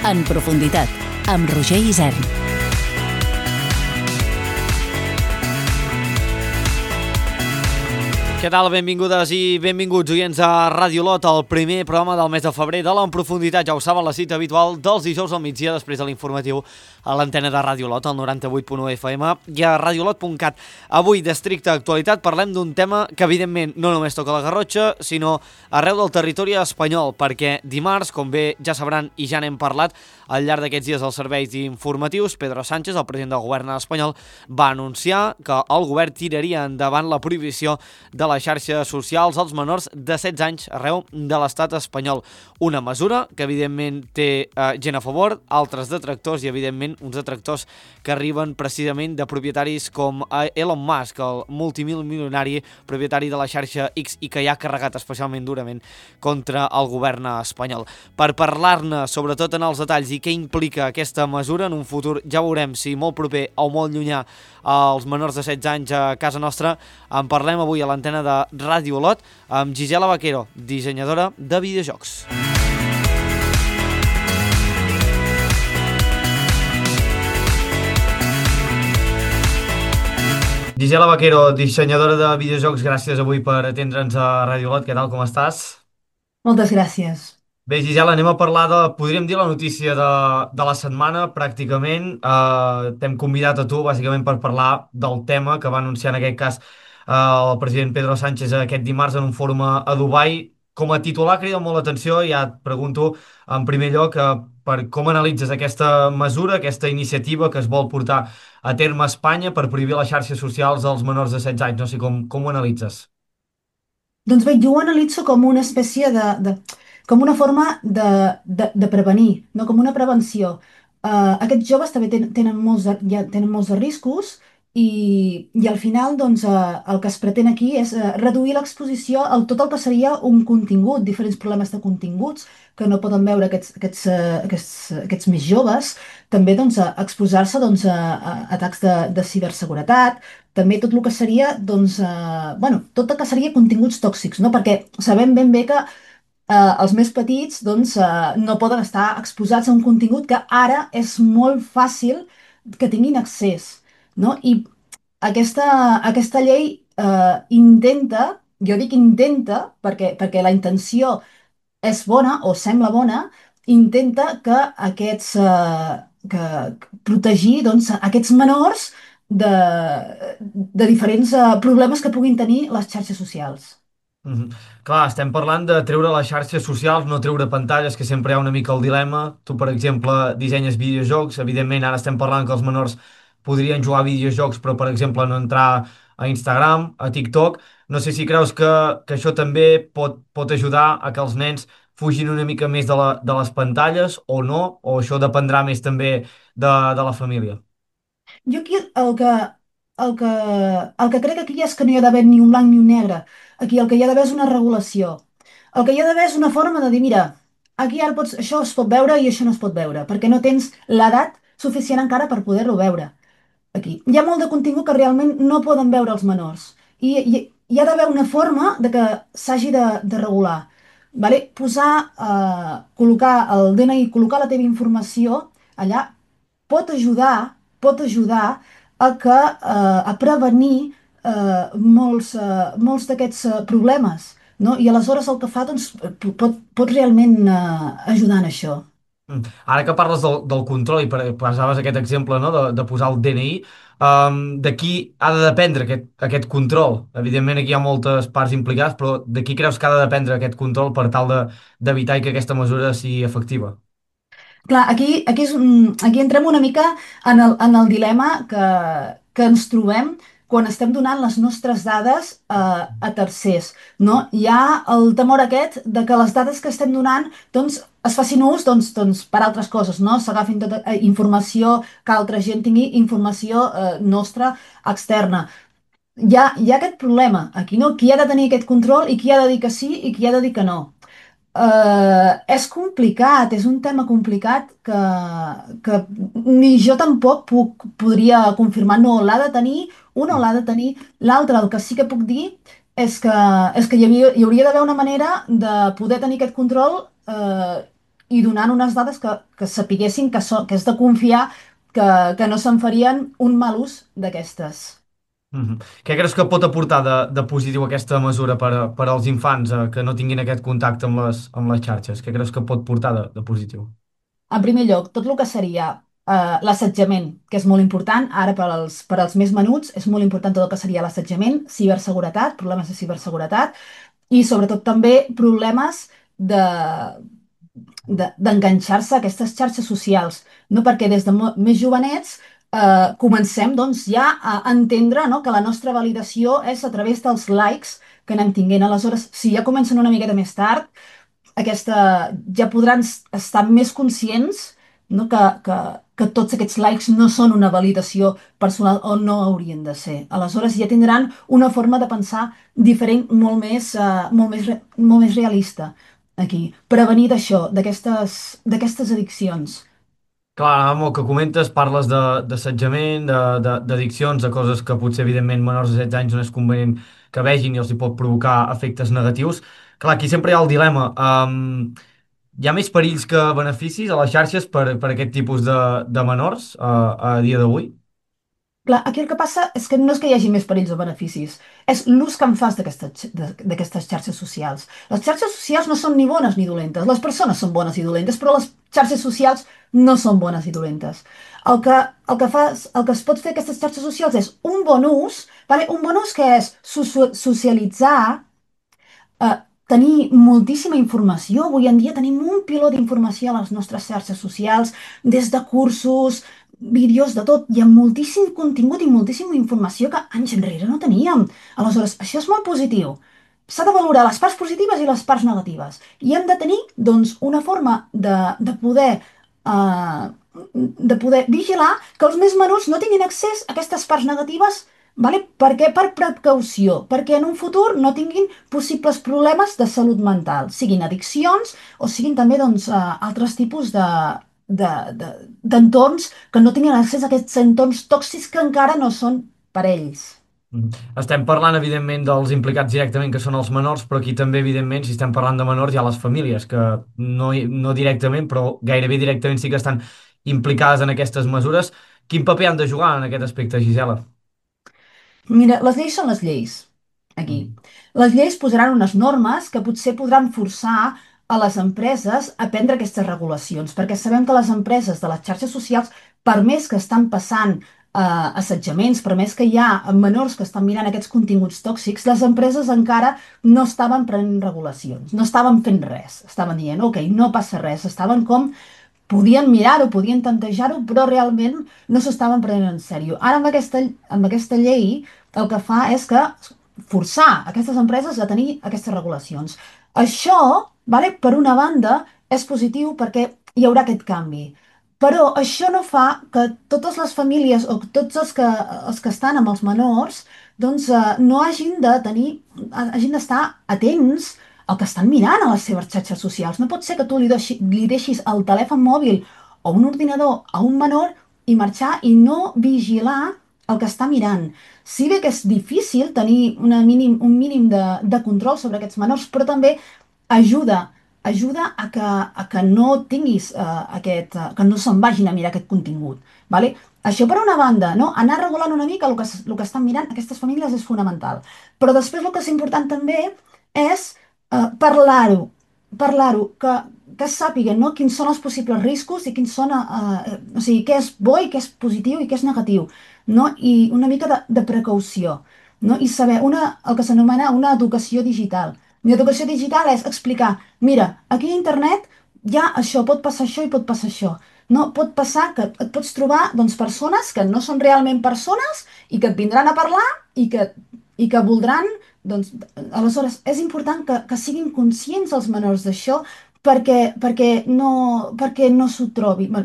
En profunditat, amb Roger Isern. Què tal? Benvingudes i benvinguts, oients a Ràdio Lot, el primer programa del mes de febrer de l'En Profunditat. Ja ho saben, la cita habitual dels dijous al migdia després de l'informatiu a l'antena de Ràdio Lot, al 98.1 FM i a radiolot.cat. Avui, d'estricta actualitat, parlem d'un tema que, evidentment, no només toca la Garrotxa, sinó arreu del territori espanyol, perquè dimarts, com bé ja sabran i ja n'hem parlat, al llarg d'aquests dies als serveis informatius, Pedro Sánchez, el president del govern espanyol, va anunciar que el govern tiraria endavant la prohibició de les xarxes socials als menors de 16 anys arreu de l'estat espanyol. Una mesura que, evidentment, té gent a favor, altres detractors i, evidentment, uns detractors que arriben precisament de propietaris com Elon Musk, el multimilionari propietari de la xarxa X i que ja ha carregat especialment durament contra el govern espanyol. Per parlar-ne, sobretot en els detalls i què implica aquesta mesura en un futur, ja veurem si molt proper o molt llunyà als menors de 16 anys a casa nostra, en parlem avui a l'antena de Ràdio Lot amb Gisela Vaquero, dissenyadora de videojocs. Gisela Vaquero, dissenyadora de videojocs, gràcies avui per atendre'ns a Ràdio Lot. Què tal, com estàs? Moltes gràcies. Bé, Gisela, anem a parlar de, podríem dir, la notícia de la setmana, pràcticament. T'hem convidat a tu, bàsicament, per parlar del tema que va anunciar, en aquest cas, el president Pedro Sánchez aquest dimarts en un fòrum a Dubai. Com a titular crida molt l'atenció, ja et pregunto, en primer lloc, per com analitzes aquesta mesura, aquesta iniciativa que es vol portar a terme a Espanya per prohibir les xarxes socials als menors de 16 anys. No sé com ho analitzes. Doncs bé, jo ho analitzo com una espècie com una forma de prevenir, no com una prevenció. Aquests joves també tenen ja tenen molts de riscos i al final doncs, el que es pretén aquí és reduir l'exposició a tot el que seria un contingut, diferents problemes de continguts que no poden veure aquests més joves, també doncs, exposar-se doncs, a atacs de ciberseguretat, també tot el que seria, doncs, bueno, tot el que seria continguts tòxics, no? Perquè sabem ben bé que els més petits doncs, no poden estar exposats a un contingut que ara és molt fàcil que tinguin accés, no? I aquesta llei intenta, jo dic intenta, perquè la intenció és bona o sembla bona, intenta que que protegir doncs, aquests menors de diferents problemes que puguin tenir les xarxes socials. Mhm. Clar, estem parlant de treure les xarxes socials, no treure pantalles, que sempre hi ha una mica el dilema. Tu, per exemple, dissenyes videojocs. Evidentment, ara estem parlant que els menors podrien jugar a videojocs, però, per exemple, no entrar a Instagram, a TikTok. No sé si creus que això també pot ajudar a que els nens fugin una mica més de les pantalles o no, o això dependrà més també de la família. Jo aquí el que, el que crec aquí és que no hi ha d'haver ni un blanc ni un negre. Aquí el que hi ha d'haver és una regulació. El que hi ha d'haver és una forma de dir, mira, aquí ara això es pot veure i això no es pot veure, perquè no tens l'edat suficient encara per poder-lo veure. Aquí. Hi ha molt de contingut que realment no poden veure els menors. Hi ha d'haver una forma de que s'hagi de regular. Vale? Col·locar el DNI, col·locar la teva informació allà pot ajudar a prevenir molts d'aquests problemes. No? I aleshores el que fa doncs, pot realment ajudar en això. Ara que parles del control i posaves aquest exemple, no, de posar el DNI, de qui ha de dependre aquest control? Evidentment aquí hi ha moltes parts implicades, però de qui creus que ha de dependre aquest control per tal d'evitar que aquesta mesura sigui efectiva? Clar, aquí entrem una mica en el dilema que ens trobem quan estem donant les nostres dades a tercers, no? Hi ha el temor aquest de que les dades que estem donant doncs, es facin ús per altres coses, no? S'agafin tota informació, que altra gent tingui informació nostra externa. Hi ha aquest problema aquí, no? Qui ha de tenir aquest control i qui ha de dir que sí i qui ha de dir que no. És complicat, és un tema complicat que ni jo tampoc podria confirmar. No, l'ha de tenir una o l'ha de tenir l'altra. El que sí que puc dir és que hi hauria d'haver una manera de poder tenir aquest control i donant unes dades que sapiguessin que és de confiar, que, que no se'n farien un mal ús d'aquestes. Mhm. Què creus que pot aportar de positiu aquesta mesura per als infants que no tinguin aquest contacte amb les xarxes? Què creus que pot portar de positiu? En primer lloc, tot el que seria l'assetjament, que és molt important, ara per als més menuts, és molt important tot el que seria l'assetjament, ciberseguretat, problemes de ciberseguretat, i sobretot també problemes d'enganxar-se a aquestes xarxes socials, no? Perquè des de més jovenets comencem doncs, ja a entendre, no? Que la nostra validació és a través dels likes que anem tinguent. Aleshores, si ja comencen una miqueta més tard, ja podran estar més conscients, no? Que tots aquests likes no són una validació personal o no haurien de ser. Aleshores ja tindran una forma de pensar diferent, molt més realista aquí. Prevenir d'això, d'aquestes addiccions. Clar, amb el que comentes parles d'assetjament, d'addiccions, de coses que potser evidentment menors de 16 anys no és convenient que vegin i els hi pot provocar efectes negatius. Clar, aquí sempre hi ha el dilema. Hi ha més perills que beneficis a les xarxes per aquest tipus de menors a dia d'avui? Clar, aquí el que passa és que no és que hi hagi més perills o beneficis, és l'ús que en fas d'aquestes xarxes socials. Les xarxes socials no són ni bones ni dolentes, les persones són bones i dolentes, però les xarxes socials no són bones i dolentes. El que es pot fer a aquestes xarxes socials és un bon ús, vale? Un bon ús que és socialitzar, eh, tenir moltíssima informació. Avui en dia tenim un piló d'informació a les nostres xarxes socials, des de cursos, vídeos, de tot. Hi ha moltíssim contingut i moltíssima informació que anys enrere no teníem. Aleshores, això és molt positiu. S'ha de valorar les parts positives i les parts negatives. I hem de tenir, doncs, una forma eh, de poder vigilar que els més menuts no tinguin accés a aquestes parts negatives. Vale? Per què? Per precaució, perquè en un futur no tinguin possibles problemes de salut mental, siguin addiccions o siguin també doncs, altres tipus d'entorns que no tinguin accés a aquests entorns tòxics que encara no són per ells. Mhm. Estem parlant, evidentment, dels implicats directament, que són els menors, però aquí també, evidentment, si estem parlant de menors, hi ha les famílies, que no directament, però gairebé directament sí que estan implicades en aquestes mesures. Quin paper han de jugar en aquest aspecte, Gisela? Mira, les lleis són les lleis, aquí. Mhm. Les lleis posaran unes normes que potser podran forçar a les empreses a prendre aquestes regulacions, perquè sabem que les empreses de les xarxes socials, per més que estan passant assetjaments, per més que hi ha menors que estan mirant aquests continguts tòxics, les empreses encara no estaven prenent regulacions, no estaven fent res. Estaven dient, ok, no passa res, estaven com podien mirar-ho, podien tantejar-ho, però realment no s'estaven prenent en sèrio. Ara amb aquesta llei el que fa és que forçar aquestes empreses a tenir aquestes regulacions. Això, vale, per una banda, és positiu perquè hi haurà aquest canvi. Però això no fa que totes les famílies o tots els que estan amb els menors doncs, no hagin d'estar atents el que estan mirant a les seves xarxes socials. No pot ser que tu li deixis el telèfon mòbil o un ordinador a un menor i marxar i no vigilar el que està mirant. Si bé que és difícil tenir un mínim de control sobre aquests menors, però també ajuda a que no tinguis que no se'n vagin a mirar aquest contingut. Vale? Això per una banda, no? Anar regulant una mica el que estan mirant aquestes famílies és fonamental. Però després el que és important també és parlar-ho, que sàpiguen, no? Quins són els possibles riscos i quins són, o sigui, què és bo i què és positiu i què és negatiu, no? I una mica de precaució, no? I saber el que s'anomena una educació digital. I educació digital és explicar, mira, aquí a internet ja això, pot passar això i pot passar això. No, pot passar que et pots trobar doncs, persones que no són realment persones i que et vindran a parlar i que voldran doncs, aleshores, és important que siguin conscients els menors d'això perquè no s'ho trobi, bé,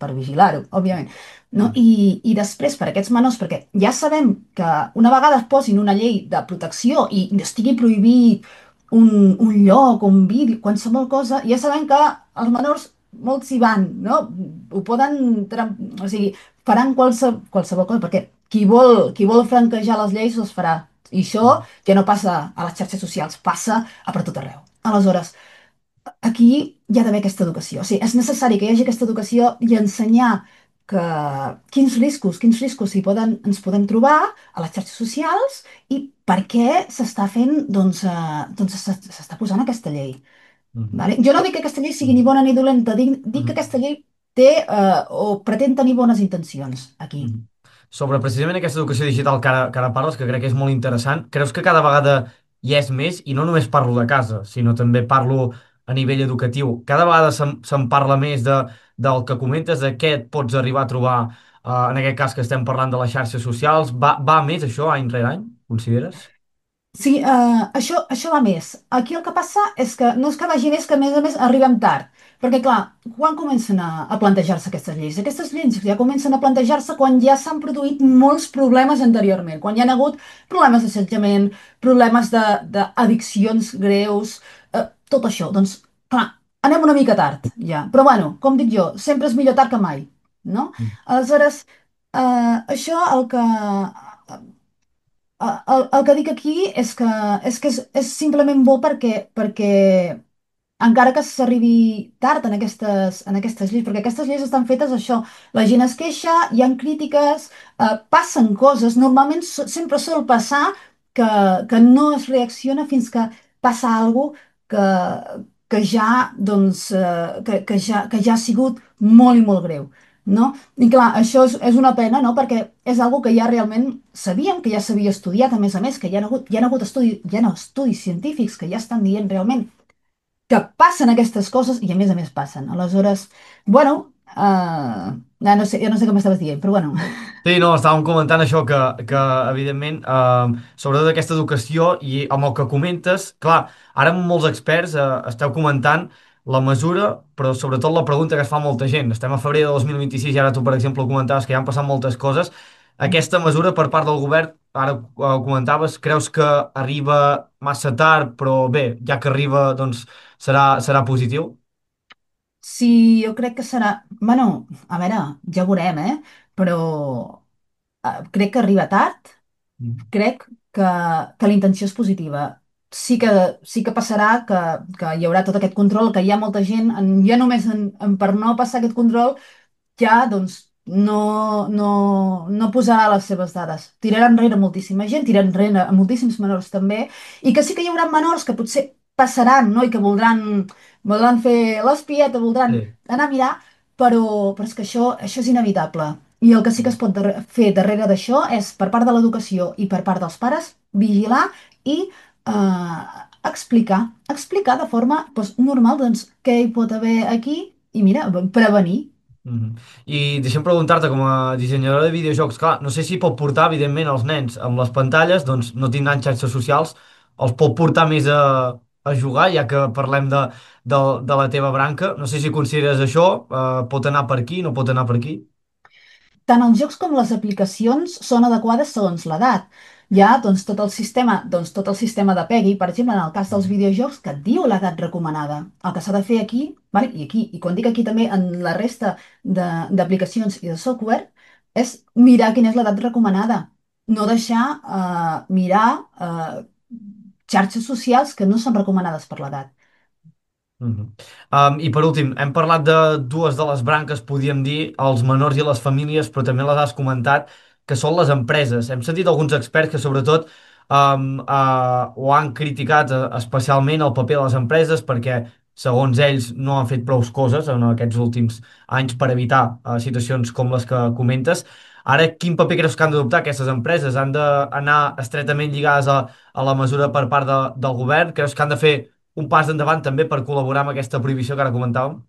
per vigilar-ho, òbviament. No? Mhm. I després, per aquests menors, perquè ja sabem que una vegada es posin una llei de protecció i estigui prohibit un lloc, un vídeo, qualsevol cosa, ja sabem que els menors molts hi van, no? Ho poden, o sigui, faran qualsevol cosa, perquè qui vol franquejar les lleis les farà. I això ja no passa a les xarxes socials, passa a per tot arreu. Aleshores, aquí hi ha d'haver aquesta educació. O sigui, és necessari que hi hagi aquesta educació i ensenyar que, quins riscos ens podem trobar a les xarxes socials i per què s'està fent, doncs s'està posant aquesta llei. Mhm. Vale? Jo no dic que aquesta llei sigui ni Mhm. bona ni dolenta, dic que Mhm. aquesta llei té o pretén tenir bones intencions aquí. Mhm. Sobre precisament aquesta educació digital que ara parles, que crec que és molt interessant, creus que cada vegada hi és més, i no només parlo de casa, sinó també parlo a nivell educatiu, cada vegada se'n parla més del que comentes, de què et pots arribar a trobar, en aquest cas que estem parlant de les xarxes socials, va més això any rere any, consideres? Sí, això va més. Aquí el que passa és que no és que vagi més, que a més arribem tard. Perquè, clar, quan comencen a plantejar-se aquestes lleis? Aquestes lleis ja comencen a plantejar-se quan ja s'han produït molts problemes anteriorment, quan hi ha hagut problemes d'assetjament, problemes d'addiccions greus, tot això. Doncs, clar, anem una mica tard, ja. Però, bueno, com dic jo, sempre és millor tard que mai, no? Mm. Aleshores, això el que dic aquí és simplement bo perquè encara que s'arribi tard en aquestes lleis, perquè aquestes lleis estan fetes això, la gent es queixa, hi han crítiques, passen coses, normalment sempre sol passar que, que no es reacciona fins que passa alguna que ja, doncs, que ja ha sigut molt i molt greu, no? I clar, això és una pena, no? Perquè és algo que ja realment sabíem, que ja s'havia estudiat, a més, que hi ha hagut estudis científics que ja estan dient realment que passen aquestes coses i a més passen. Aleshores, bueno, ja no sé què m'estaves dient, però bueno. Sí, no, estàvem comentant això que evidentment, sobretot aquesta educació i amb el que comentes, clar, ara amb molts experts esteu comentant la mesura, però sobretot la pregunta que es fa molta gent. Estem a febrer de 2026 i ara tu, per exemple, comentaves que ja han passat moltes coses. Aquesta mesura per part del govern, ara ho comentaves, creus que arriba massa tard, però bé, ja que arriba, doncs serà positiu? Sí, jo crec que serà... Bueno, a veure, ja veurem, però crec que arriba tard, Mm. crec que la intenció és positiva. Sí que passarà que hi haurà tot aquest control, que hi ha molta gent, ja només per no passar aquest control, ja doncs no posarà les seves dades. Tirarà enrere moltíssima gent, tirarà enrere a moltíssims menors també, i que sí que hi haurà menors que potser passaran, no? I que voldran fer l'espieta, voldran Sí. anar a mirar, però és que això és inevitable. I el que sí que es pot fer darrere d'això és, per part de l'educació i per part dels pares, vigilar i explicar de forma doncs, normal doncs, què hi pot haver aquí i mira, prevenir. Mhm. I deixa'm preguntar-te, com a dissenyadora de videojocs, clar, no sé si pot portar, evidentment, els nens amb les pantalles, doncs no tindran xarxes socials, els pot portar més a jugar, ja que parlem de la teva branca. No sé si consideres això, pot anar per aquí, no pot anar per aquí. Tant els jocs com les aplicacions són adequades segons l'edat. Hi ha tot el sistema de PEGI, per exemple, en el cas dels videojocs, que et diu l'edat recomanada. El que s'ha de fer aquí, vale? I quan dic aquí també en la resta d'aplicacions i de software, és mirar quina és l'edat recomanada. No deixar mirar xarxes socials que no són recomanades per l'edat. Mhm. I per últim, hem parlat de dues de les branques, podríem dir, els menors i les famílies, però també les has comentat, que són les empreses. Hem sentit alguns experts que sobretot ho han criticat especialment el paper de les empreses perquè, segons ells, no han fet prou coses en aquests últims anys per evitar situacions com les que comentes. Ara, quin paper creus que han d'adoptar aquestes empreses? Han d'anar estretament lligades a la mesura per part del govern? Creus que han de fer un pas endavant també per col·laborar amb aquesta prohibició que ara comentàvem?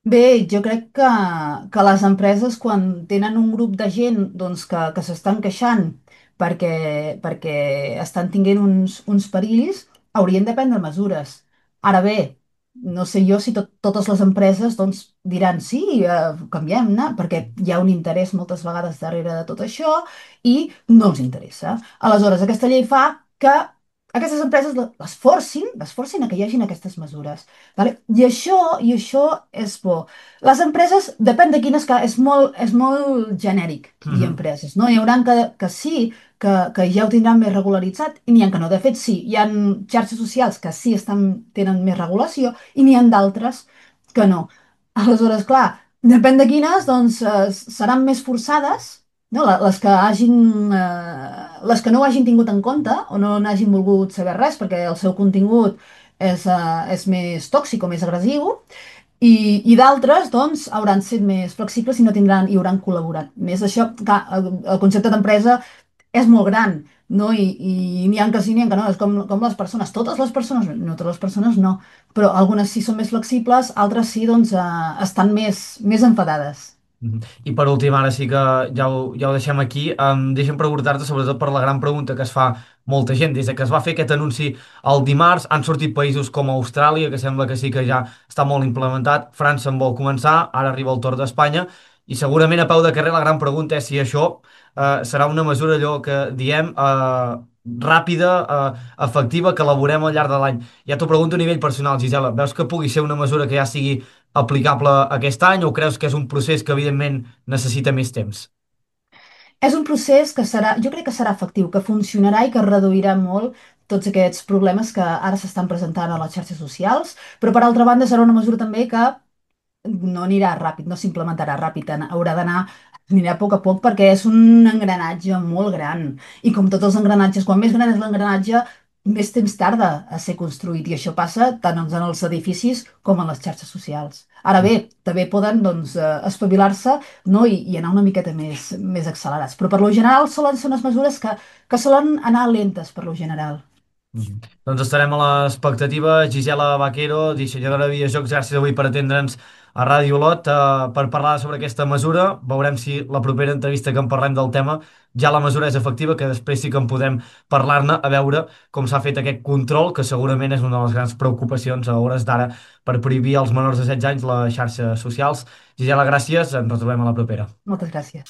Bé, jo crec que les empreses, quan tenen un grup de gent doncs, que s'estan queixant perquè estan tinguent uns perills, haurien de prendre mesures. Ara bé, no sé jo si totes les empreses doncs, diran sí, canviem-ne, perquè hi ha un interès moltes vegades darrere de tot això i no els interessa. Aleshores, aquesta llei fa que aquestes empreses les forcin a que hi hagin aquestes mesures. Vale? I això és bo. Les empreses, depèn de quines, és molt genèric dir Mhm. empreses, no? Hi haurà que sí, que ja ho tindran més regularitzat i n'hi ha que no. De fet, sí, hi ha xarxes socials que sí tenen més regulació i n'hi ha d'altres que no. Aleshores, clar, depèn de quines, doncs seran més forçades, no? Les que no ho hagin tingut en compte o no n'hagin volgut saber res perquè el seu contingut és més tòxic o més agressiu i d'altres, doncs, hauran set més flexibles i no tindran, i hauran col·laborat més. Això, clar, el concepte d'empresa és molt gran, no? I n'hi ha que sí, n'hi ha que no. És com les persones. Totes les persones, no totes les persones no, però algunes sí són més flexibles, altres sí, doncs, estan més enfadades. I per últim, ara sí que ja ho deixem aquí. Deixa'm preguntar-te, sobretot per la gran pregunta que es fa molta gent. Des de que es va fer aquest anunci el dimarts, han sortit països com Austràlia, que sembla que sí que ja està molt implementat. França en vol començar, ara arriba el torn d'Espanya. I segurament a peu de carrer la gran pregunta és si això serà una mesura allò que diem ràpida, efectiva, que elaborem al llarg de l'any. Ja t'ho pregunto a nivell personal, Gisela. Veus que pugui ser una mesura que ja sigui aplicable aquest any o creus que és un procés que evidentment necessita més temps? És un procés que serà, jo crec que serà efectiu, que funcionarà i que reduirà molt tots aquests problemes que ara s'estan presentant a les xarxes socials, però per altra banda serà una mesura també que no anirà ràpid, no s'implementarà ràpid, haurà d'anar, anirà a poc perquè és un engranatge molt gran. I com tots els engranatges, quan més gran és l'engranatge, més temps tarda a ser construït. I això passa tant en els edificis com en les xarxes socials. Ara bé, també poden doncs, espavilar-se, no? I anar una miqueta més accelerats. Però per lo general solen ser unes mesures que solen anar lentes per lo general. Doncs estarem a l'expectativa. Gisela Vaquero, dissenyadora de videojocs, gràcies avui per atendre'ns a Ràdio Olot per parlar sobre aquesta mesura. Veurem si la propera entrevista que en parlem del tema ja la mesura és efectiva, que després sí que en podem parlar-ne, a veure com s'ha fet aquest control, que segurament és una de les grans preocupacions a hores d'ara per prohibir als menors de 16 anys les xarxes socials. Gisela, gràcies, ens retrobem a la propera. Moltes gràcies.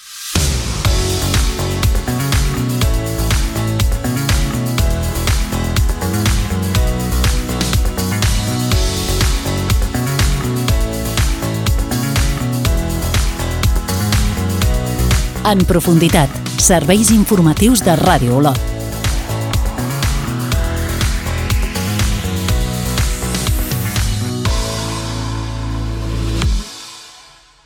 En profunditat, serveis informatius de Ràdio Olot.